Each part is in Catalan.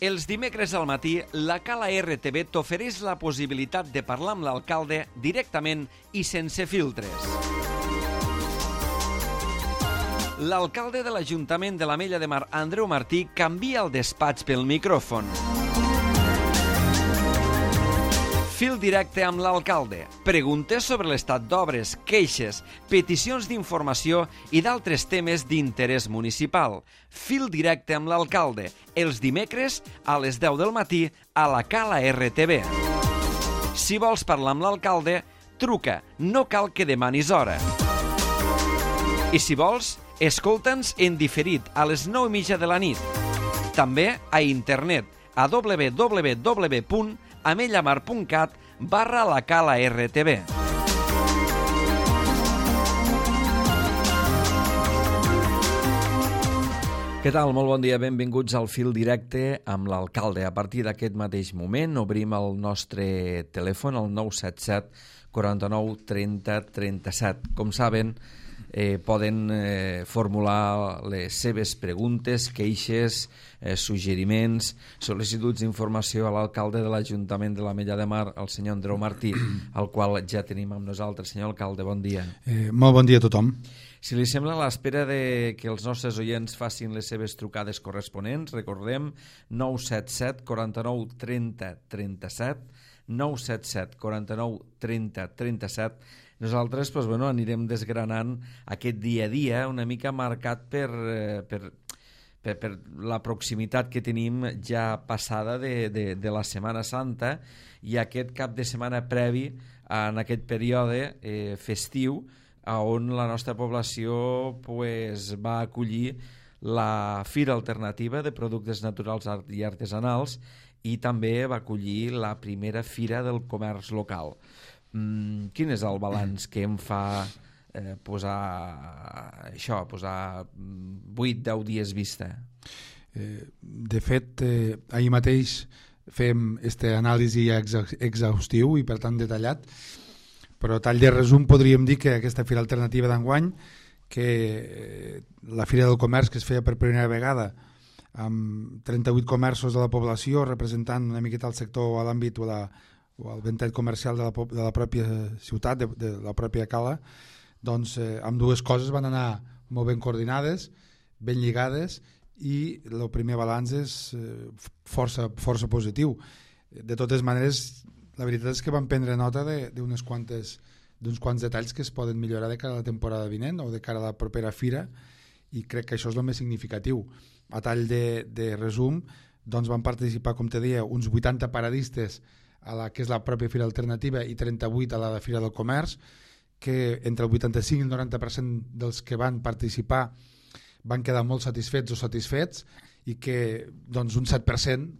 Els dimecres al matí, la Cala RTV t'ofereix la possibilitat de parlar amb l'alcalde directament i sense filtres. L'alcalde de l'Ajuntament de l'Ametlla de Mar, Andreu Martí, canvia el despatx pel micròfon. Fil directe amb l'alcalde. Preguntes sobre l'estat d'obres, queixes, peticions d'informació i d'altres temes d'interès municipal. Fil directe amb l'alcalde. Els dimecres a les 10 del matí a la Cala RTV. Si vols parlar amb l'alcalde, truca. No cal que demanis hora. I si vols, escolta'ns en diferit a les 9:30 de la nit. També a internet a www.amellamar.cat/la Cala RTV. Què tal? Molt bon dia, benvinguts al Fil Directe amb l'alcalde. A partir d'aquest mateix moment obrim el nostre telèfon, el 977 49 30 37. Com saben, poden formular les seves preguntes, queixes, suggeriments, sol·licituds d'informació a l'alcalde de l'Ajuntament de l'Ametlla de Mar, el senyor Andreu Martí, el qual ja tenim amb nosaltres. Senyor alcalde, bon dia. Molt bon dia a tothom. Si li sembla, a l'espera de que els nostres oients facin les seves trucades corresponents, recordem 977 49 30 37, 977 49 30 37. Nosaltres anirem desgranant aquest dia a dia una mica marcat per la proximitat que tenim ja passada de la Setmana Santa i aquest cap de setmana previ en aquest període festiu on la nostra població va acollir la Fira Alternativa de Productes Naturals i Artesanals i també va acollir la primera Fira del Comerç Local. Quin és el balanç que em fa posar 8-10 dies vista? De fet, ahir mateix fem aquesta anàlisi exhaustiu i per tant detallat, però tall de resum podríem dir que aquesta Fira Alternativa d'enguany, que la Fira del Comerç que es feia per primera vegada amb 38 comerços de la població representant una miqueta el sector a l'àmbit o el ventall comercial de la pròpia ciutat, de la pròpia cala, doncs amb dues coses van anar molt ben coordinades, ben lligades, i el primer balanç és força positiu. De totes maneres, la veritat és que vam prendre nota d'uns quants detalls que es poden millorar de cara a la temporada vinent o de cara a la propera fira, i crec que això és el més significatiu. A tall de resum, doncs van participar, com te deia, uns 80 paradistes a la que és la pròpia Fira Alternativa i 38 a la de Fira del Comerç, que entre el 85 i el 90% dels que van participar van quedar molt satisfets o satisfets, i que doncs, un 7%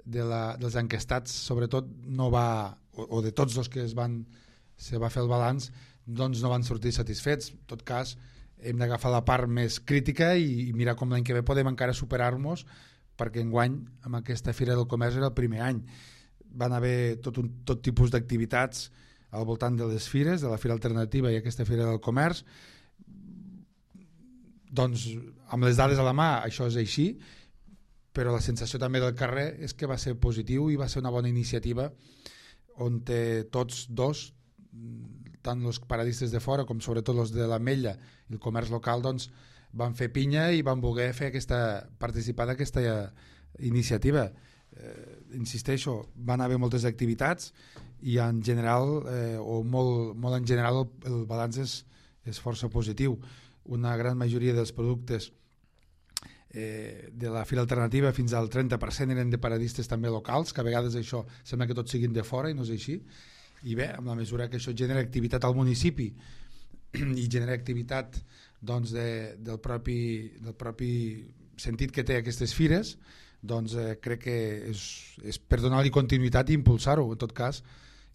dels enquestats sobretot no va, o de tots els que se va fer el balanç, doncs no van sortir satisfets. En tot cas, hem d'agafar la part més crítica i mirar com l'any que ve podem encara superar-nos, perquè enguany amb aquesta Fira del Comerç era el primer any. Van haver tot tipus d'activitats al voltant de les fires, de la Fira Alternativa i aquesta Fira del Comerç. Doncs amb les dades a la mà això és així, però la sensació també del carrer és que va ser positiu i va ser una bona iniciativa on tots dos, tant els paradistes de fora com sobretot els de l'Ametlla i el comerç local, doncs, van fer pinya i van voler participar d'aquesta iniciativa. Insisteixo, van haver moltes activitats i en general, o molt en general, el balanç és força positiu. Una gran majoria dels productes de la Fira Alternativa, fins al 30%, eren de paradistes també locals, que a vegades això sembla que tots siguin de fora i no és així. I bé, amb la mesura que això genera activitat al municipi i genera activitat doncs, del propi sentit que té aquestes fires, doncs crec que és per donar-li continuïtat i impulsar-ho. En tot cas,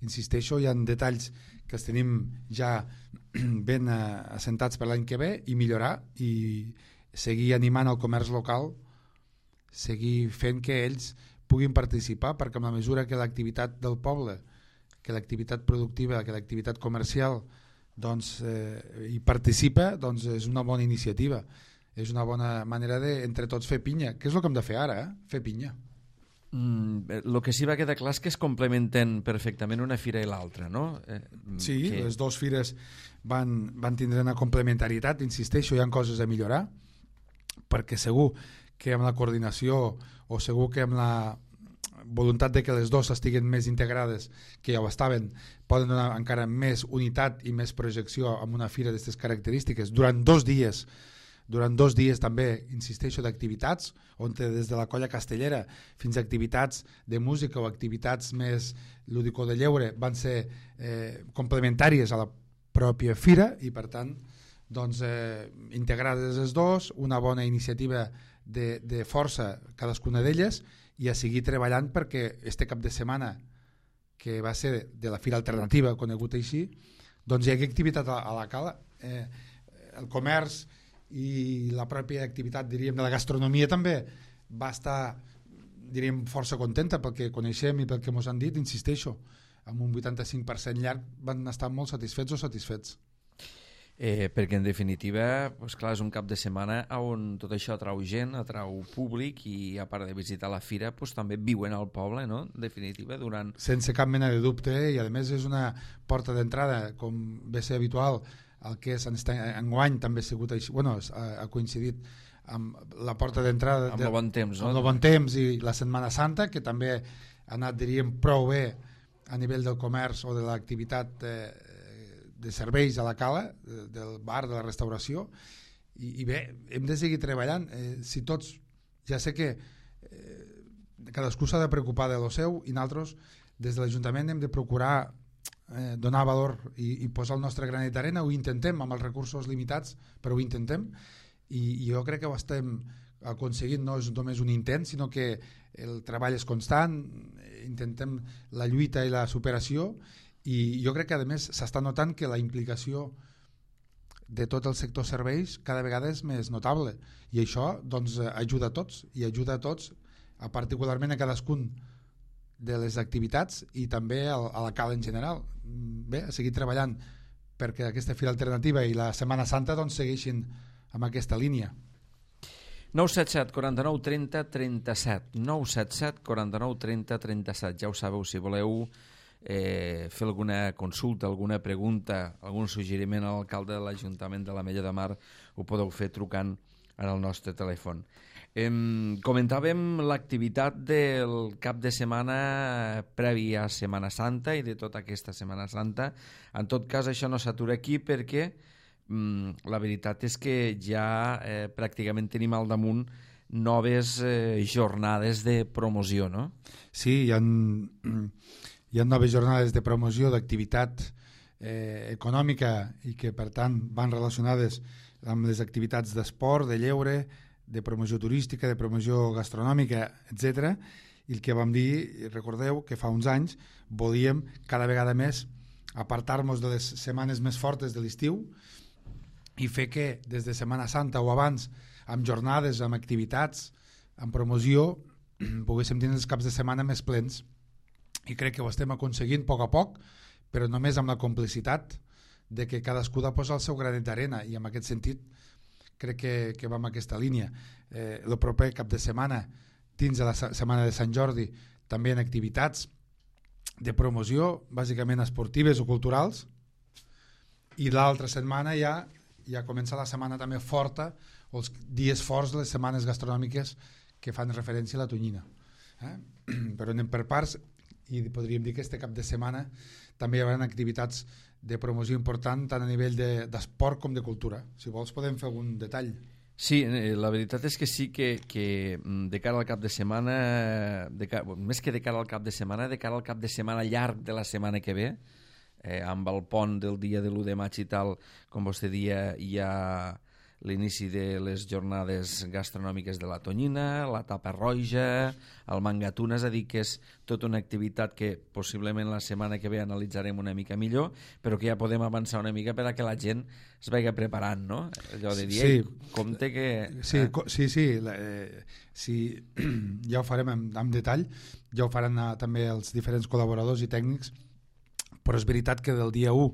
insisteixo, hi ha detalls que els tenim ja ben assentats per l'any que ve, i millorar i seguir animant el comerç local, seguir fent que ells puguin participar, perquè amb la mesura que l'activitat del poble, que l'activitat productiva, que l'activitat comercial doncs, hi participa, doncs és una bona iniciativa. És una bona manera de entre tots fer pinya, que és el que hem de fer ara, fer pinya. El que sí va quedar clar és que es complementen perfectament una fira i l'altra, no? Sí, les dues fires van tindre una complementarietat, insisteixo, hi ha coses a millorar, perquè segur que amb la coordinació o segur que amb la voluntat de que les dues estiguin més integrades, que ja ho estaven, poden donar encara més unitat i més projecció amb una fira d'aquestes característiques durant 2 dies. Durant 2 dies també, insisteixo, d'activitats, on des de la colla castellera fins a activitats de música o activitats més lúdico de lleure van ser complementàries a la pròpia fira i per tant doncs, integrades les dues, una bona iniciativa de força cadascuna d'elles i a seguir treballant perquè este cap de setmana que va ser de la Fira Alternativa conegut així, doncs hi ha activitat a la cala, el comerç i la pròpia activitat, diríem, de la gastronomia també va estar, diríem, força contenta pel que coneixem i pel que ens han dit, insisteixo, amb un 85% llarg van estar molt satisfets o satisfets. Perquè en definitiva, doncs clar, és un cap de setmana on tot això atrau gent, atrau públic i a part de visitar la fira doncs també viuen al poble, no? En definitiva, durant... Sense cap mena de dubte, i a més és una porta d'entrada, com ve ser habitual, el que és enguany també ha sigut així, bueno, ha coincidit amb la porta d'entrada amb el bon temps, no? Amb el bon temps i la Setmana Santa, que també ha anat, diríem, prou bé a nivell del comerç o de l'activitat de serveis a la cala, del bar, de la restauració, i bé, hem de seguir treballant. Si tots, ja sé que cadascú s'ha de preocupar de lo seu i nosaltres des de l'Ajuntament hem de procurar donar valor i posar el nostre granet d'arena, ho intentem amb els recursos limitats, però ho intentem i jo crec que ho estem aconseguint, no és només un intent sinó que el treball és constant, intentem la lluita i la superació i jo crec que a més s'està notant que la implicació de tot el sector serveis cada vegada és més notable i això doncs ajuda a tots i ajuda a tots, particularment a cadascun de les activitats i també a la cala en general. Bé, a seguir treballant perquè aquesta Fira Alternativa i la Setmana Santa doncs segueixin amb aquesta línia. 977 49 30 37 977 49 30 37. Ja ho sabeu, si voleu fer alguna consulta, alguna pregunta, algun suggeriment a l'alcalde de l'Ajuntament de l'Ametlla de Mar, ho podeu fer trucant al nostre telèfon. Comentàvem l'activitat del cap de setmana previ a Setmana Santa i de tota aquesta Setmana Santa. En tot cas, això no s'atura aquí perquè la veritat és que ja pràcticament tenim al damunt noves jornades de promoció, no? Sí, hi ha noves jornades de promoció d'activitat econòmica i que per tant van relacionades amb les activitats d'esport, de lleure, de promoció turística, de promoció gastronòmica, etc. I el que vam dir, recordeu que fa uns anys volíem cada vegada més apartar-nos de les setmanes més fortes de l'estiu i fer que des de Setmana Santa o abans, amb jornades, amb activitats, amb promoció, poguéssim tenir els caps de setmana més plens. I crec que ho estem aconseguint a poc, però només amb la complicitat de que cadascú ha de posar el seu granet d'arena i en aquest sentit crec que va en aquesta línia. El proper cap de setmana, dins de la setmana de Sant Jordi, també en activitats de promoció, bàsicament esportives o culturals, i l'altra setmana ja comença la setmana també forta, o els dies forts de les setmanes gastronòmiques que fan referència a la tonyina. Però anem per parts i podríem dir que este cap de setmana també hi haurà activitats de promoció important tant a nivell d'esport com de cultura. Si vols podem fer algun detall. Sí, la veritat és que sí que de cara al cap de setmana, més que de cara al cap de setmana, de cara al cap de setmana llarg de la setmana que ve, amb el pont del dia de l'1 de maig i tal, com vostè dia, hi ha l'inici de les jornades gastronòmiques de la tonyina, la tapa roja, el mangatuna, és a dir, que és tota una activitat que possiblement la setmana que ve analitzarem una mica millor, però que ja podem avançar una mica per a que la gent es vagi preparant, no? Allò de dir, sí, compte que... Sí, sí, ja ho farem en detall, ja ho faran també els diferents col·laboradors i tècnics, però és veritat que del dia 1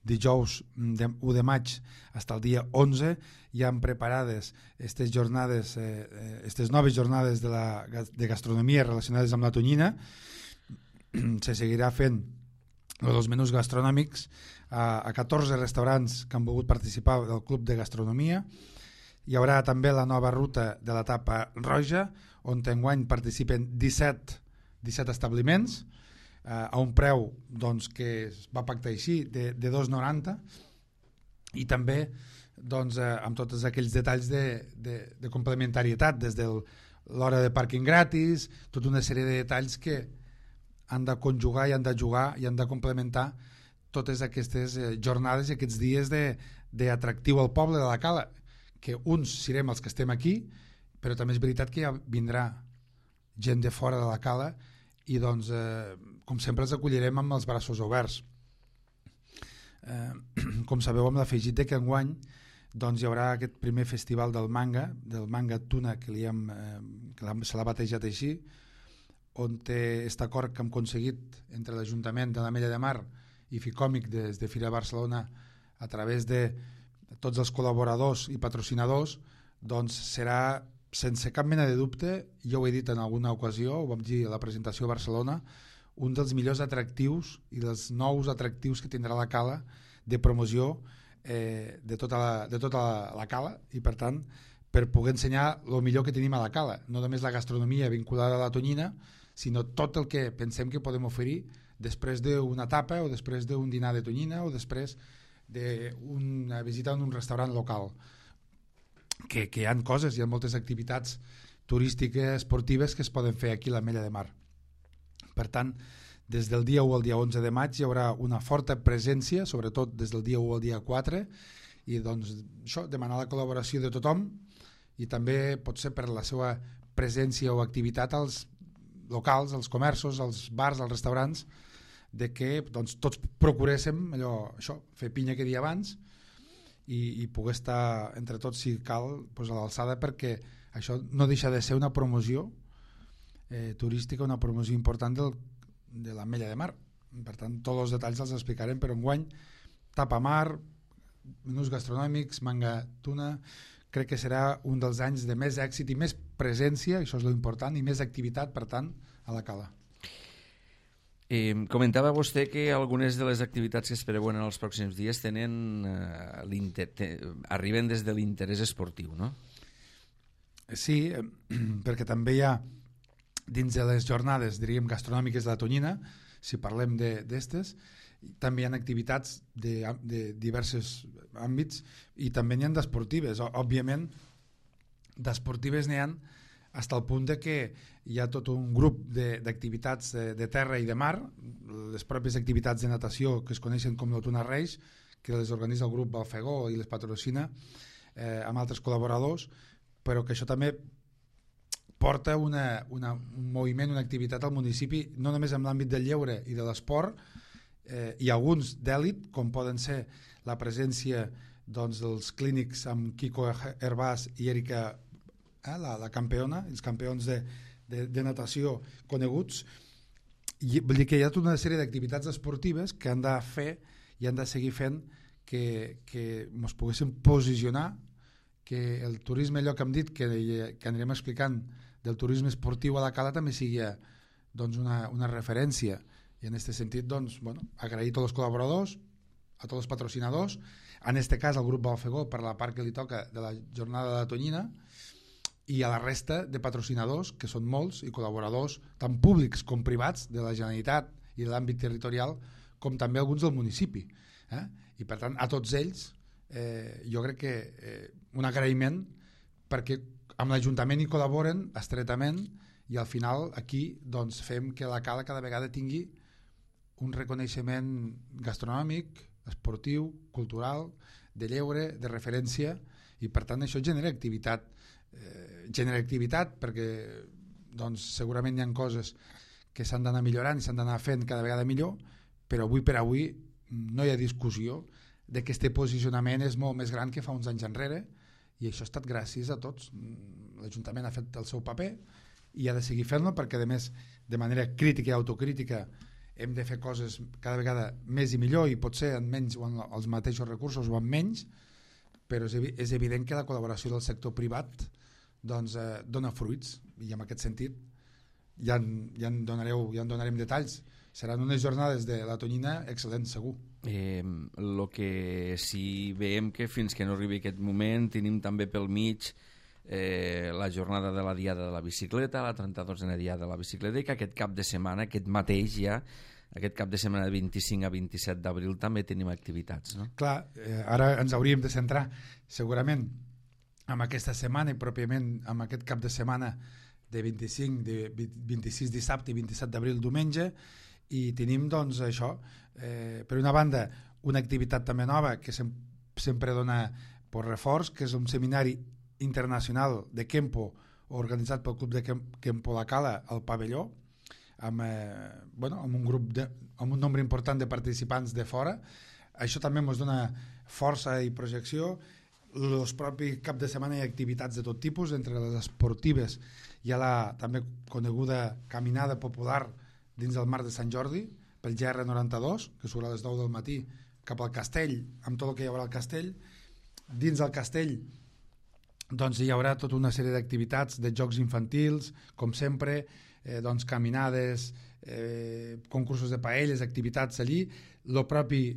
dijous 1 de maig fins al dia 11 hi han preparades aquestes jornades, aquestes noves jornades de gastronomia relacionades amb la tonyina. Se seguirà fent els menús gastronòmics a 14 restaurants que han volgut participar del Club de Gastronomia. Hi haurà també la nova ruta de la tapa roja, on enguany participen 17 establiments, a un preu doncs, que es va pactar així de 2,90, i també doncs, amb tots aquells detalls de complementarietat, des de l'hora de pàrquing gratis, tota una sèrie de detalls que han de conjugar i han de jugar i han de complementar totes aquestes jornades i aquests dies d'atractiu al poble de la Cala, que uns serem els que estem aquí, però també és veritat que ja vindrà gent de fora de la Cala i doncs, com sempre, els acollirem amb els braços oberts. Com sabeu, amb l'afegit de que enguany doncs, hi haurà aquest primer festival del manga tuna, que se l'ha batejat així, on té aquest acord que hem aconseguit entre l'Ajuntament de l'Ametlla de Mar i Ficòmic des de Fira Barcelona, a través de tots els col·laboradors i patrocinadors, doncs serà, sense cap mena de dubte, jo ho he dit en alguna ocasió, ho vam dir a la presentació a Barcelona, un dels millors atractius i dels nous atractius que tindrà la Cala de promoció de tota la Cala, i per tant per poder ensenyar el millor que tenim a la Cala, no només la gastronomia vinculada a la tonyina, sinó tot el que pensem que podem oferir després d'una tapa o després d'un dinar de tonyina o després d'una visita en un restaurant local, que hi ha coses, hi ha moltes activitats turístiques, esportives que es poden fer aquí a l'Ametlla de Mar. Per tant, des del dia 1 al dia 11 de maig hi haurà una forta presència, sobretot des del dia 1 al dia 4, i doncs això, demanar la col·laboració de tothom, i també pot ser per la seva presència o activitat als locals, als comerços, als bars, als restaurants, de que doncs, tots procuréssim això, fer pinya que dia abans i poder estar entre tots, si cal, doncs, a l'alçada, perquè això no deixa de ser una promoció turística, una promoció important de l'Ametlla de Mar. Per tant, tots els detalls els explicarem, però enguany tapa mar, menús gastronòmics, manga tuna, crec que serà un dels anys de més èxit i més presència, això és l'important, i més activitat, per tant, a la Cala. Comentava vostè que algunes de les activitats que es preveuen en els pròxims dies arriben des de l'interès esportiu, no? Sí, perquè també hi ha dins de les jornades, diríem, gastronòmiques de la tonyina, si parlem d'estes, també hi ha activitats de diversos àmbits i també n'hi ha d'esportives. Òbviament, d'esportives n'hi ha fins al punt de que hi ha tot un grup d'activitats de terra i de mar, les pròpies activitats de natació que es coneixen com l'Otuna Reis, que les organitza el grup Balfegó i les patrocina amb altres col·laboradors, però que això també porta un moviment, una activitat al municipi, no només en l'àmbit del lleure i de l'esport, i alguns d'èlit, com poden ser la presència doncs, dels clínics amb Kiko Hervás i Erika, la campiona, els campions de natació coneguts. I vull dir que hi ha tota una sèrie d'activitats esportives que han de fer i han de seguir fent que ens poguéssim posicionar, que el turisme, allò que hem dit, que anirem explicant del turisme esportiu a la Cala, també sigui doncs, una referència. I en aquest sentit, doncs, agrair a tots els col·laboradors, a tots els patrocinadors, en aquest cas al grup Balfegó per la part que li toca de la jornada de la tonyina, i a la resta de patrocinadors, que són molts, i col·laboradors tant públics com privats de la Generalitat i de l'àmbit territorial, com també alguns del municipi. I per tant, a tots ells jo crec que un agraïment, perquè amb l'Ajuntament hi col·laboren estretament i al final aquí doncs, fem que la Cala cada vegada tingui un reconeixement gastronòmic, esportiu, cultural, de lleure, de referència, i per tant això genera activitat perquè doncs, segurament hi ha coses que s'han d'anar millorant i s'han d'anar fent cada vegada millor, però avui per avui no hi ha discussió de que este posicionament és molt més gran que fa uns anys enrere, i això ha estat gràcies a tots. L'Ajuntament ha fet el seu paper i ha de seguir fent-lo, perquè a més de manera crítica i autocrítica hem de fer coses cada vegada més i millor, i potser amb menys o amb els mateixos recursos o amb menys, però és evident que la col·laboració del sector privat doncs, dona fruits, i en aquest sentit ja en donarem detalls. Seran unes jornades de la Tonyina excel·lents, segur. El que sí veiem que fins que no arribi aquest moment tenim també pel mig la jornada de la Diada de la Bicicleta, la 32a Diada de la Bicicleta, i que aquest cap de setmana, aquest mateix ja, aquest cap de setmana de 25 a 27 d'abril també tenim activitats, no? Clar, ara ens hauríem de centrar segurament en aquesta setmana i pròpiament en aquest cap de setmana de 26 dissabte i 27 d'abril diumenge, i tenim doncs això, per una banda una activitat també nova que sempre dona per reforç, que és un seminari internacional de Kempo organitzat pel Club de Kempo La Cala al pavelló, amb un nombre important de participants de fora. Això també ens dona força i projecció. El propi cap de setmana hi ha activitats de tot tipus, entre les esportives hi ha la també coneguda caminada popular dins del Marc de Sant Jordi pel GR92, que surt a les 9 del matí cap al castell, amb tot el que hi haurà al castell. Dins del castell doncs hi haurà tota una sèrie d'activitats, de jocs infantils, com sempre, doncs caminades, concursos de paelles, activitats allí, el propi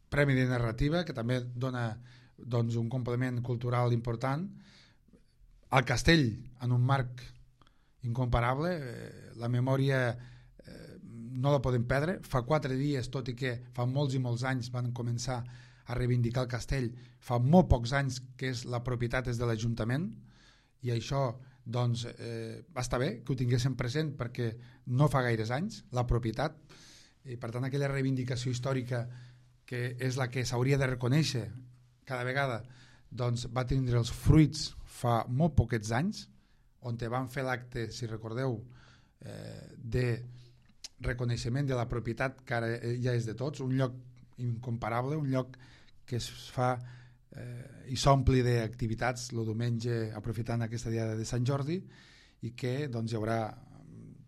Premi de Narrativa, que també dona doncs, un complement cultural important, al castell, en un marc incomparable, la memòria no la podem perdre. Fa 4 dies, tot i que fa molts i molts anys van començar a reivindicar el castell, fa molt pocs anys que la propietat és de l'Ajuntament, i això doncs, va estar bé que ho tinguéssim present, perquè no fa gaires anys la propietat, i per tant aquella reivindicació històrica que és la que s'hauria de reconèixer cada vegada, doncs va tindre els fruits fa molt poquets anys, on van fer l'acte, si recordeu, de reconeixement de la propietat que ara ja és de tots, un lloc incomparable, un lloc que es fa i s'ompli d'activitats el diumenge aprofitant aquesta Diada de Sant Jordi, i que doncs, hi haurà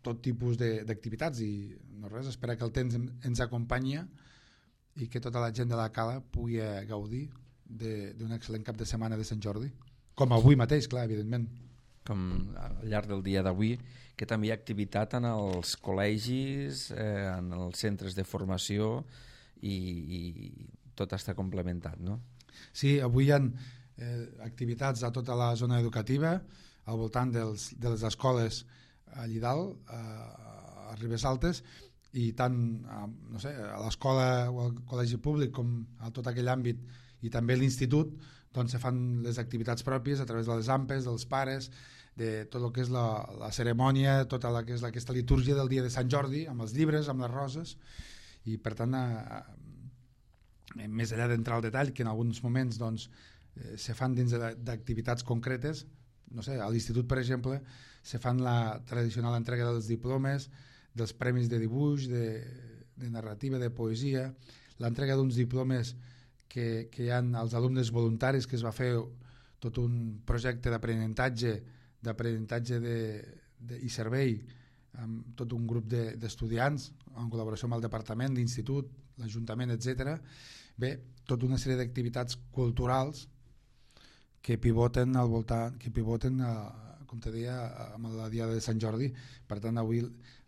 tot tipus d'activitats, i no res, espera que el temps ens acompanyi i que tota la gent de la Cala pugui gaudir d'un excel·lent cap de setmana de Sant Jordi, com avui mateix, clar, evidentment, com al llarg del dia d'avui, que també hi ha activitat en els col·legis, en els centres de formació, i tot està complementat, no? Sí, avui hi ha activitats a tota la zona educativa, al voltant de les escoles allí dalt, a Ribes Altes, i tant no sé, a l'escola o al col·legi públic com a tot aquell àmbit, i també a l'institut, doncs se fan les activitats pròpies a través de les ampes, dels pares, de tot el que és la cerimònia, tota la que és aquesta litúrgia del dia de Sant Jordi, amb els llibres, amb les roses, i per tant més enllà d'entrar al detall, que en alguns moments doncs, se fan dins d'activitats concretes, no sé, a l'institut per exemple se fan la tradicional entrega dels diplomes, dels premis de dibuix, de narrativa, de poesia, l'entrega d'uns diplomes que hi ha als alumnes voluntaris, que es va fer tot un projecte d'aprenentatge i servei amb tot un grup d'estudiants en col·laboració amb el departament, l'institut, l'Ajuntament, etc. Bé, tota una sèrie d'activitats culturals que pivoten al voltant, com te deia, amb la Diada de Sant Jordi. Per tant, avui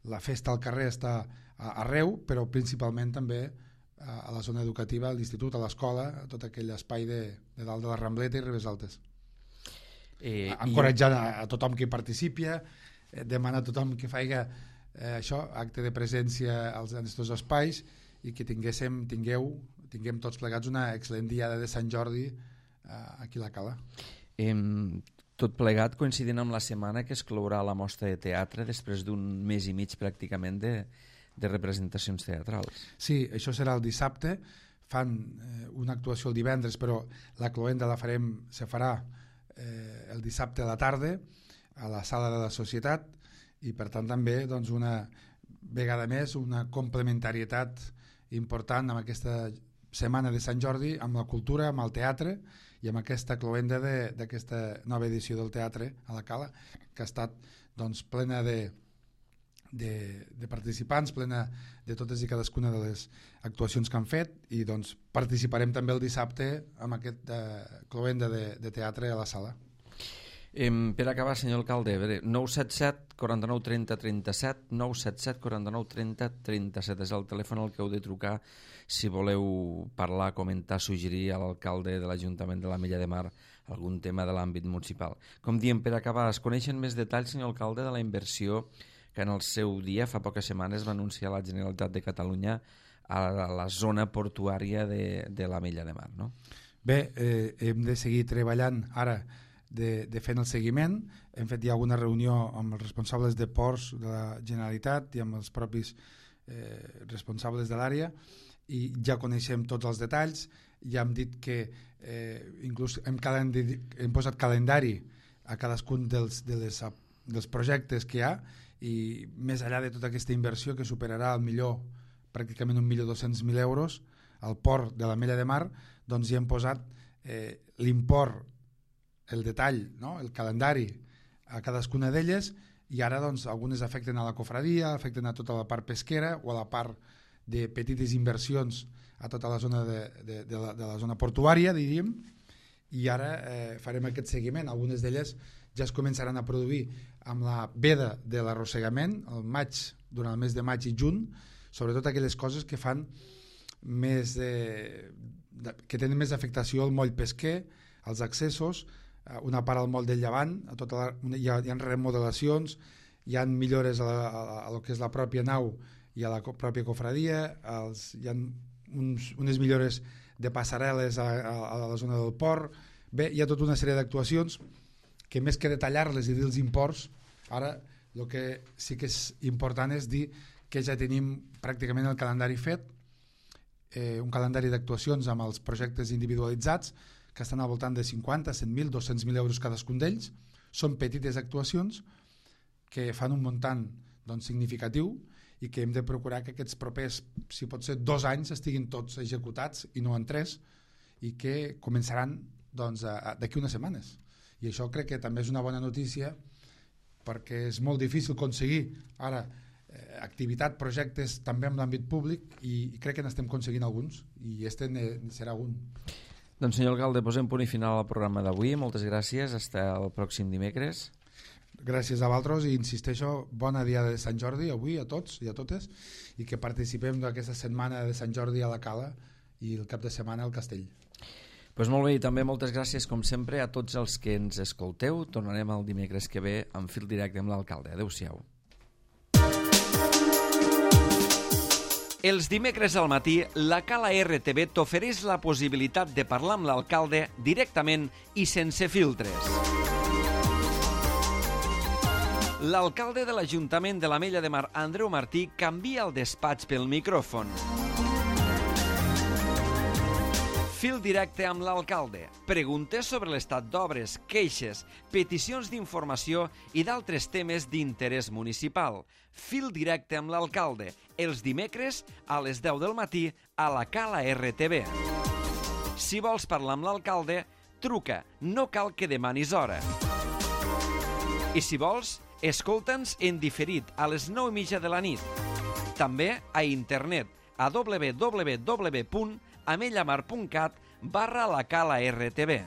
la festa al carrer està arreu, però principalment també a la zona educativa, a l'institut, a l'escola, a tot aquell espai de dalt de la Rambleta i Ribes Altes. Encoratjant a tothom que hi participi, demanar a tothom que faci això, acte de presència en aquests espais, i que tinguem tots plegats una excel·lent Diada de Sant Jordi aquí a la Cala. Tot plegat coincidint amb la setmana que es clourà la mostra de teatre després d'un mes i mig pràcticament de representacions teatrals. Sí, això serà el dissabte, fan una actuació el divendres, però la cloenda se farà el dissabte a la tarda a la sala de la Societat, i per tant també doncs, una vegada més una complementarietat important amb aquesta setmana de Sant Jordi, amb la cultura, amb el teatre, i amb aquesta cloenda d'aquesta nova edició del teatre a la Cala, que ha estat doncs, plena de participants, plena de totes i cadascuna de les actuacions que han fet, i doncs participarem també el dissabte amb aquest cloenda de teatre a la sala. Per acabar, senyor alcalde, 977 49 30 37, 977 49 30 37 és el telèfon al que heu de trucar si voleu parlar, comentar, suggerir a l'alcalde de l'Ajuntament de l'Ametlla de Mar algun tema de l'àmbit municipal. Com diem, per acabar, es coneixen més detalls, senyor alcalde, de la inversió que en el seu dia, fa poques setmanes, va anunciar la Generalitat de Catalunya a la zona portuària de l'Ametlla de Mar, no? Bé, hem de seguir treballant ara de fent el seguiment. Hem fet ja alguna reunió amb els responsables de ports de la Generalitat i amb els propis responsables de l'àrea, i ja coneixem tots els detalls. Ja hem dit que inclús hem posat calendari a cadascun dels projectes que hi ha, i més enllà de tota aquesta inversió que superarà al millor pràcticament 1.200.000 euros al port de l'Ametlla de Mar, doncs hi hem posat l'import, el detall, no? El calendari a cadascuna d'elles, i ara doncs algunes afecten a la cofradia, afecten a tota la part pesquera o a la part de petites inversions a tota la zona de la zona portuària, diríem, i ara farem aquest seguiment. Algunes d'elles ja es començaran a produir amb la veda de l'arrossegament el maig, durant el mes de maig i juny, sobretot aquelles coses que fan més que tenen més afectació al moll pesquer, als accessos, una part al moll del Llevant, hi ha remodelacions, hi ha millores a lo que és la pròpia nau i a la pròpia cofradia, hi ha unes millores de passarel·les a la zona del port. Bé, hi ha tota una sèrie d'actuacions que, més que detallar-les i dir els imports, ara el que sí que és important és dir que ja tenim pràcticament el calendari fet, un calendari d'actuacions amb els projectes individualitzats que estan al voltant de 50, 100.000, 200.000 euros cadascun d'ells. Són petites actuacions que fan un muntant doncs, significatiu, i que hem de procurar que aquests propers, si pot ser 2 anys, estiguin tots executats i no en 3, i que començaran doncs, d'aquí unes setmanes. I això crec que també és una bona notícia, perquè és molt difícil aconseguir ara activitat, projectes també en l'àmbit públic, i crec que n'estem aconseguint alguns, i este serà un. Doncs senyor alcalde, posem punt i final al programa d'avui. Moltes gràcies, fins el pròxim dimecres. Gràcies a vosaltres, i insisteixo, bona dia de Sant Jordi avui a tots i a totes, i que participem d'aquesta setmana de Sant Jordi a la Cala i el cap de setmana al Castell. Pues molt bé, i també moltes gràcies, com sempre, a tots els que ens escolteu. Tornarem el dimecres que ve en fil directe amb l'alcalde. Adéu-siau. Els dimecres al matí, la Cala RTV t'ofereix la possibilitat de parlar amb l'alcalde directament i sense filtres. L'alcalde de l'Ajuntament de l'Ametlla de Mar, Andreu Martí, canvia el despatx pel micròfon. Fil directe amb l'alcalde. Preguntes sobre l'estat d'obres, queixes, peticions d'informació i d'altres temes d'interès municipal. Fil directe amb l'alcalde. Els dimecres a les 10 del matí a la Cala RTV. Si vols parlar amb l'alcalde, truca. No cal que demanis hora. I si vols, escolta'ns en diferit a les 9:30 de la nit. També a internet a www.amellamar.cat/la Cala RTV.